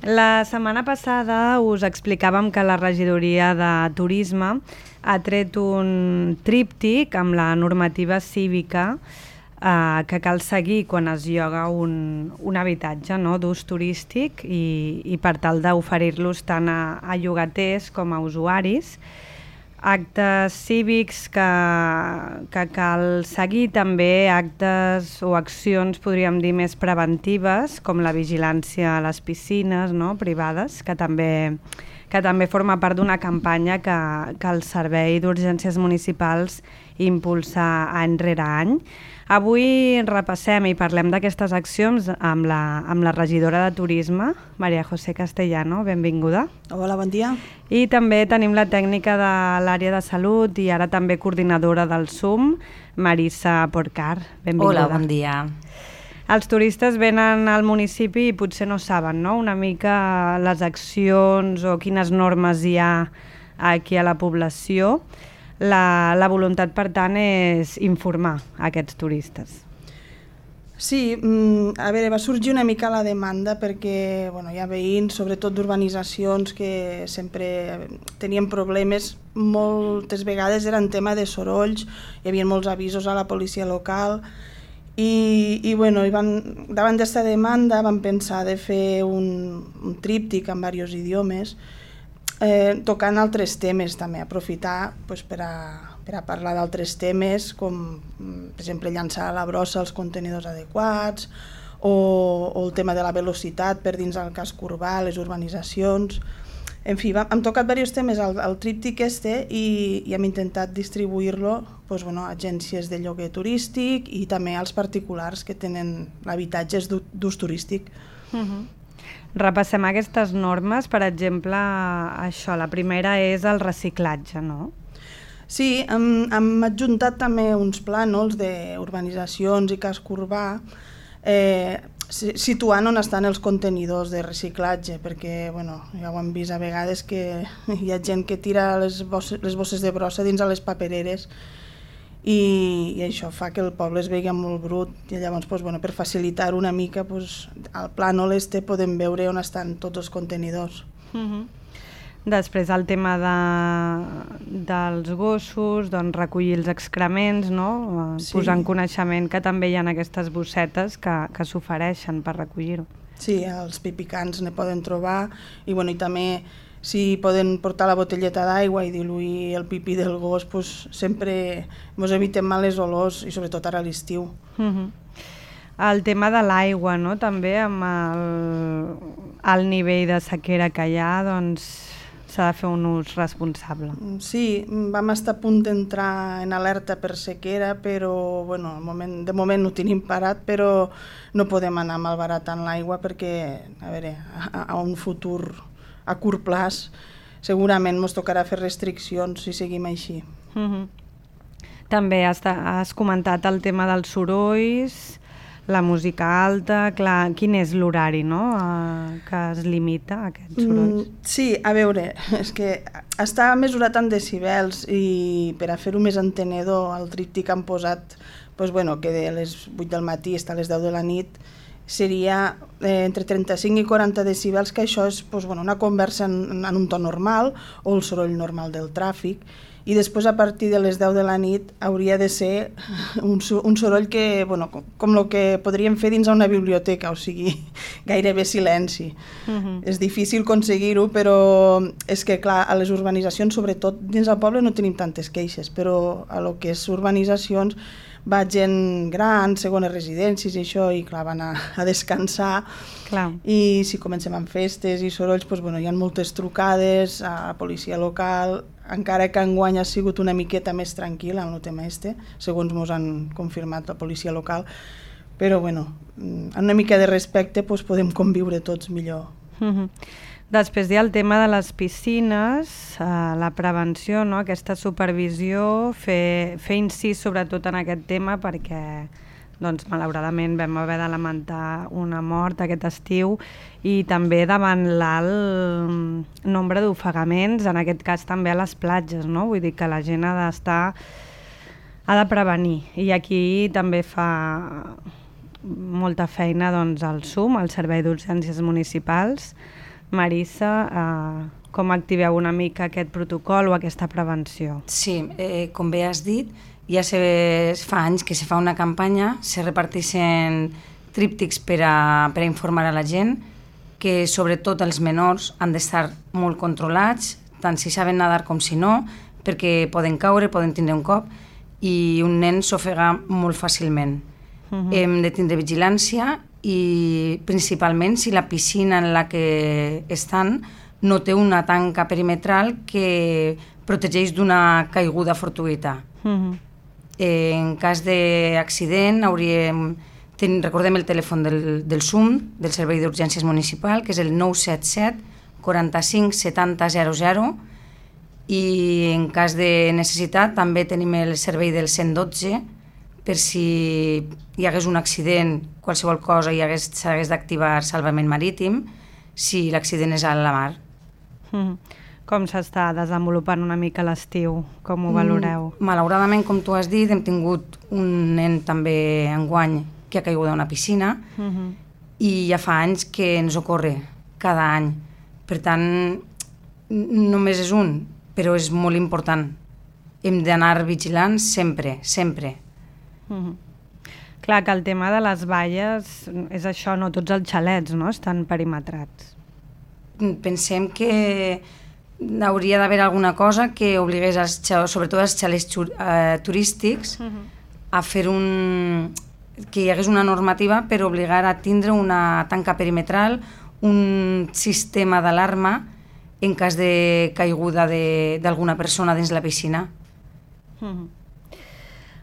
La setmana passada us explicàvem que la regidoria de Turisme ha tret un tríptic amb la normativa cívica que cal seguir quan es lloga un habitatge, no?, d'ús turístic i per tal d'oferir-los tant a llogaters com a usuaris. Actes cívics que cal seguir, també actes o accions, podríem dir, més preventives, com la vigilància a les piscines, no?, privades, que també forma part d'una campanya que el Servei d'Urgències Municipals impulsa any rere any. Avui repassem i parlem d'aquestes accions amb la regidora de Turisme, María José Castellano. Benvinguda. Hola, bon dia. I també tenim la tècnica de l'àrea de salut i ara també coordinadora del SUM, Marissa Porcar. Benvinguda. Hola, bon dia. Els turistes venen al municipi i potser no saben, no?, una mica les accions o quines normes hi ha aquí a la població. La voluntat, per tant, és informar aquests turistes. Sí, a veure, va sorgir una mica la demanda perquè hi ha veïns, sobretot d'urbanitzacions, que sempre tenien problemes. Moltes vegades era en tema de sorolls, hi havia molts avisos a la policia local i davant d'aquesta demanda vam pensar de fer un tríptic en diversos idiomes, tocant altres temes també, aprofitar per a parlar d'altres temes com per exemple llançar a la brossa els contenidors adequats o el tema de la velocitat per dins del casc urbà, les urbanitzacions. En fi, hem tocat diversos temes al tríptic i hem intentat distribuir-lo a agències de lloguer turístic i també als particulars que tenen habitatges d'ús turístic. Repassem aquestes normes, per exemple, això, la primera és el reciclatge, no? Sí, hem adjuntat també uns plànols d'urbanitzacions i casc urbà situant on estan els contenidors de reciclatge, perquè ja ho hem vist a vegades que hi ha gent que tira les bosses de brossa dins a les papereres i això fa que el poble es vegi molt brut i llavors per facilitar una mica al plànol podem veure on estan tots els contenidors. Després el tema dels gossos, recollir els excrements, no? Sí. Posar en coneixement que també hi ha aquestes bossetes que s'ofereixen per recollir-ho. Sí, els pipicans ne poden trobar i també si poden portar la botelleta d'aigua i diluir el pipí del gos, sempre ens evitem males olors i sobretot ara a l'estiu. El tema de l'aigua, no?, també amb el nivell de sequera que hi ha, s'ha de fer un ús responsable. Sí, vam estar a punt d'entrar en alerta per sequera, però de moment no ho tenim parat, però no podem anar malbaratant l'aigua perquè, a un futur a curt plaç segurament ens tocarà fer restriccions si seguim així. També has comentat el tema dels sorolls, la música alta, clar, quin és l'horari, no?, que es limita a aquests sorolls? Sí, a veure, és que està mesurat en decibels i per a fer-ho més entenedor al tríptic han posat que de les 8 del matí fins a les 10 de la nit seria entre 35 i 40 decibels, que això és una conversa en un to normal o el soroll normal del tràfic, i després a partir de les 10 de la nit hauria de ser un soroll que, com el que podríem fer dins una biblioteca, o sigui, gairebé silenci. És difícil aconseguir-ho, però és que, clar, a les urbanitzacions, sobretot dins del poble, no tenim tantes queixes, però a lo que és urbanitzacions va gent gran, segones residències i això, i clar, van a descansar. Clar. I si comencem amb festes i sorolls, hi ha moltes trucades a la policia local, encara que enguany ha sigut una miqueta més tranquil amb el tema segons ens han confirmat la policia local, però amb una mica de respecte podem conviure tots millor. Després hi ha el tema de les piscines, la prevenció, no?, aquesta supervisió, fer incís sobretot en aquest tema perquè malauradament vam haver de lamentar una mort aquest estiu i també davant l'alt nombre d'ofegaments, en aquest cas també a les platges, no? Vull dir que la gent ha de prevenir i aquí també fa molta feina el SUM, el Servei d'Urgències Municipals, Marissa, com activeu una mica aquest protocol o aquesta prevenció? Sí, com bé has dit, ja fa anys que se fa una campanya, se reparteixen tríptics per a informar a la gent, que sobretot els menors han d'estar molt controlats, tant si saben nedar com si no, perquè poden caure, poden tindre un cop, i un nen s'ofega molt fàcilment. Hem de tindre vigilància i principalment si la piscina en la que estan no té una tanca perimetral que protegeix d'una caiguda fortuïta. En cas d'accident recordem el telèfon del SUM, del Servei d'Urgències Municipal, que és el 977 45 70 00, i en cas de necessitat també tenim el servei del 112 per si hi hagués un accident, qualsevol cosa, s'hagués d'activar salvament marítim si l'accident és a la mar. Com s'està desenvolupant una mica l'estiu? Com ho valoreu? Malauradament, com tu has dit, hem tingut un nen també enguany que ha caigut a una piscina i ja fa anys que ens ocorre cada any. Per tant, només és un, però és molt important. Hem d'anar vigilants sempre, sempre. Clar que el tema de les valles és això, no tots els xalets estan perimetrats. Pensem que hauria d'haver alguna cosa que obligués, sobretot els xalets turístics, a fer que hi hagués una normativa per obligar a tindre una tanca perimetral, un sistema d'alarma en cas de caiguda d'alguna persona dins la piscina.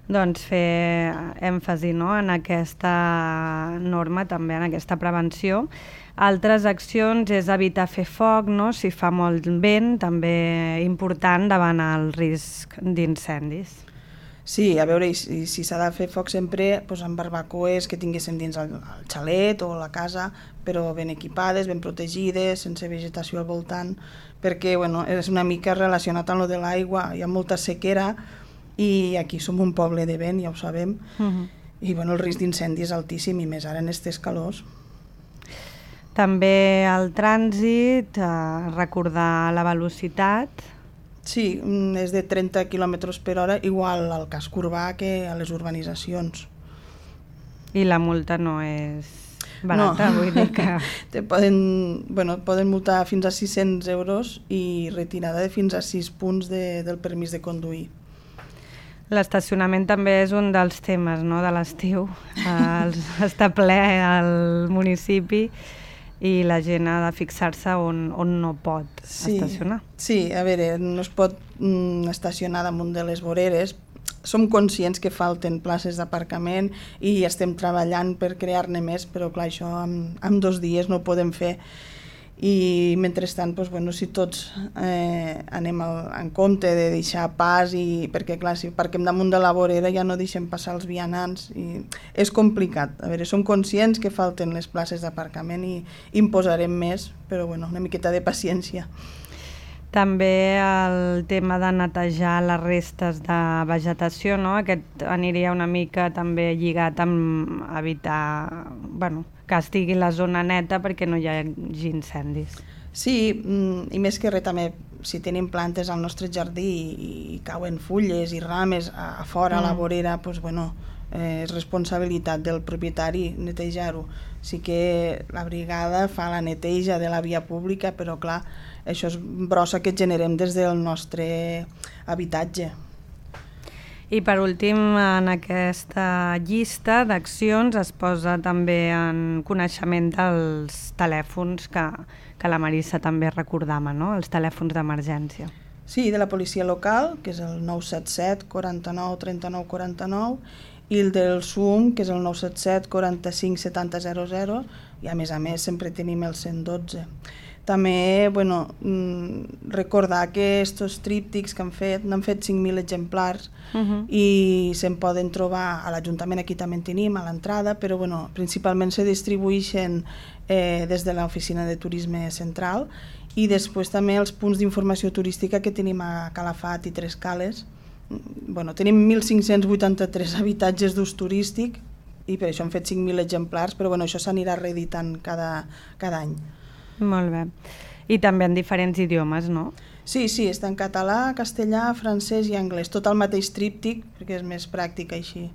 Doncs fer èmfasi en aquesta norma, també en aquesta prevenció. Altres accions és evitar fer foc, si fa molt vent, també important davant el risc d'incendis. Sí, a veure, si s'ha de fer foc sempre amb barbacoes que tinguéssim dins el xalet o la casa, però ben equipades, ben protegides, sense vegetació al voltant, perquè és una mica relacionat amb lo de l'aigua, hi ha molta sequera i aquí som un poble de vent, ja ho sabem, i el risc d'incendi és altíssim, i més ara en aquestes calors. També el trànsit, recordar la velocitat. Sí, és de 30 km per hora, igual al casc urbà que a les urbanitzacions. I la multa no és barata, vull dir que... Poden multar fins a 600 euros i retirada de fins a 6 punts del permís de conduir. L'estacionament també és un dels temes de l'estiu. Està ple al municipi i la gent ha de fixar-se on no pot estacionar. Sí, a veure, no es pot estacionar damunt de les voreres. Som conscients que falten places d'aparcament i estem treballant per crear-ne més, però clar, això en 2 dies no ho podem fer. I mentrestant, si tots anem en compte de deixar pas, perquè clar, si parquem damunt de la vorera ja no deixem passar els vianants, i és complicat. A veure, som conscients que falten les places d'aparcament i en posarem més, però una miqueta de paciència. També el tema de netejar les restes de vegetació, aquest aniria una mica també lligat amb evitar que estigui la zona neta perquè no hi hagi incendis. Sí, i més que res també, si tenim plantes al nostre jardí i cauen fulles i rames a fora a la vorera, és responsabilitat del propietari netejar-ho. Sí que la brigada fa la neteja de la via pública, però clar, això és brossa que generem des del nostre habitatge. I per últim, en aquesta llista d'accions es posa també en coneixement dels telèfons que la Marissa també recordava, els telèfons d'emergència. Sí, de la policia local, que és el 977 49 39 49, i el del SUM, que és el 977 45 70 00, i a més sempre tenim el 112. També, recordar que aquests tríptics que n'han fet 5.000 exemplars i se'n poden trobar a l'Ajuntament, aquí també en tenim, a l'entrada, però principalment se distribueixen des de l'Oficina de Turisme Central i després també els punts d'informació turística que tenim a Calafat i Tres Cales. Tenim 1.583 habitatges d'ús turístic i per això han fet 5.000 exemplars, però això s'anirà reeditant cada any. Molt bé. i també en diferents idiomes, no? Sí, està en català, castellà, francès i anglès, tot el mateix tríptic, perquè és més pràctic així.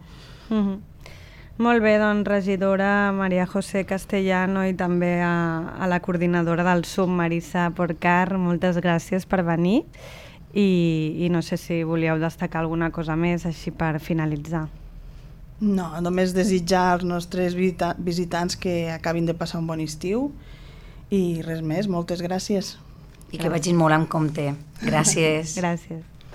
Molt bé, doncs, regidora Maria José Castellano i també a la coordinadora del SUB, Marisa Porcar, moltes gràcies per venir i no sé si volíeu destacar alguna cosa més així per finalitzar. No, només desitjar als nostres visitants que acabin de passar un bon estiu i res més, moltes gràcies. I que vagin molt amb compte. Gràcies. Gràcies.